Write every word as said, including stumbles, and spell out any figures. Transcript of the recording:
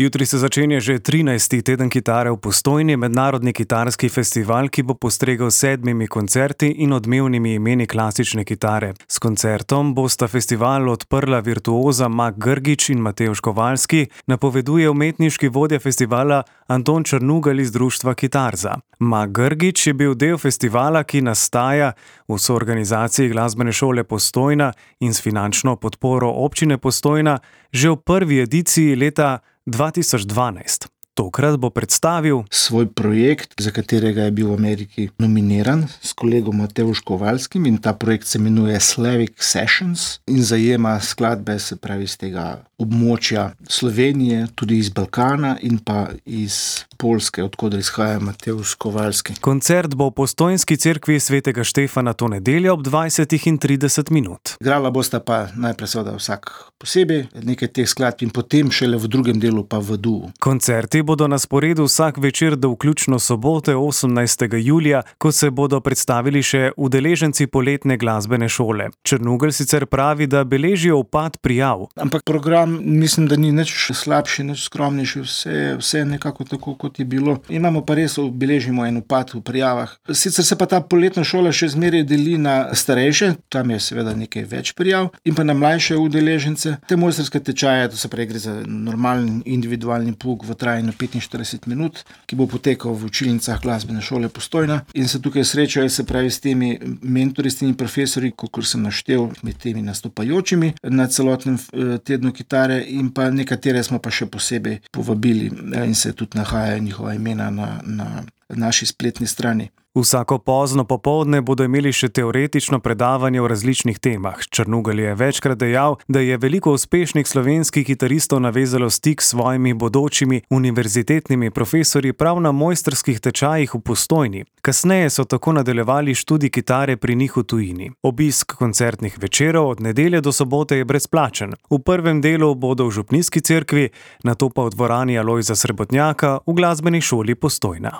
Jutri se začenja že trinajsti teden kitare v Postojni, mednarodni kitarski festival, ki bo postregel s sedmimi koncerti in odmevnimi imeni klasične kitare. S koncertom bosta festival odprla virtuoza Mak Grgić in Matevž Kovalski, napoveduje umetniški vodja festivala Anton Črnugelj iz društva Kitarza. Mak Grgić je bil del festivala, ki nastaja v soorganizaciji Glasbene šole Postojna in s finančno podporo občine Postojna že v prvi ediciji leta dva tisoč dvanajst. Tokrat bo predstavil svoj projekt, za katerega je bil v Ameriki nominiran s kolegom Matevžem Kovalskim, in ta projekt se imenuje Slavic Sessions in zajema skladbe, se pravi, iz tega območja Slovenije, tudi iz Balkana in pa iz Poljske, odkoder izhaja Matevž Kovalski. Koncert bo v Postojnski cerkvi svetega Štefana to nedeljo ob dvajsetih in trideset minut. Igrala bosta pa najprej seveda vsak posebej nekaj teh skladb in potem šele v drugem delu pa v duo. Koncerti bodo na sporedu vsak večer do vključno sobote osemnajstega julija, ko se bodo predstavili še udeleženci poletne glasbene šole. Črnugelj sicer pravi, da beležijo upad prijav. Ampak program mislim, da ni nič slabši, nič skromnejši, vse, vse nekako tako, kot je bilo. Imamo pa res, beležimo en upad v prijavah. Sicer se pa ta poletna šola še zmeraj deli na starejše, tam je seveda nekaj več prijav, in pa na mlajše udeležence. Te mojstrske tečaje, to se pravi, gre za normalen individualni pouk v trajanju petinštirideset minut, ki bo potekal v učilnicah Glasbene šole Postojna, in se tukaj srečajo, se pravi, s temi mentori, s temi profesorji, kakor sem naštel med temi nastopajočimi na celotnem tednu kitare, in pa nekatere smo pa še posebej povabili in se tudi nahajajo njihova imena na, na naši spletni strani. Vsako pozno popoldne bodo imeli še teoretično predavanje o različnih temah. Črnugelj je večkrat dejal, da je veliko uspešnih slovenskih kitaristov navezalo stik s svojimi bodočimi univerzitetnimi profesorji prav na mojstrskih tečajih v Postojni. Kasneje so tako nadaljevali študij kitare pri njih v tujini. Obisk koncertnih večerov od nedelje do sobote je brezplačen. V prvem delu bodo v župnijski cerkvi, nato pa v dvorani Alojza Srebotnjaka v Glasbeni šoli Postojna.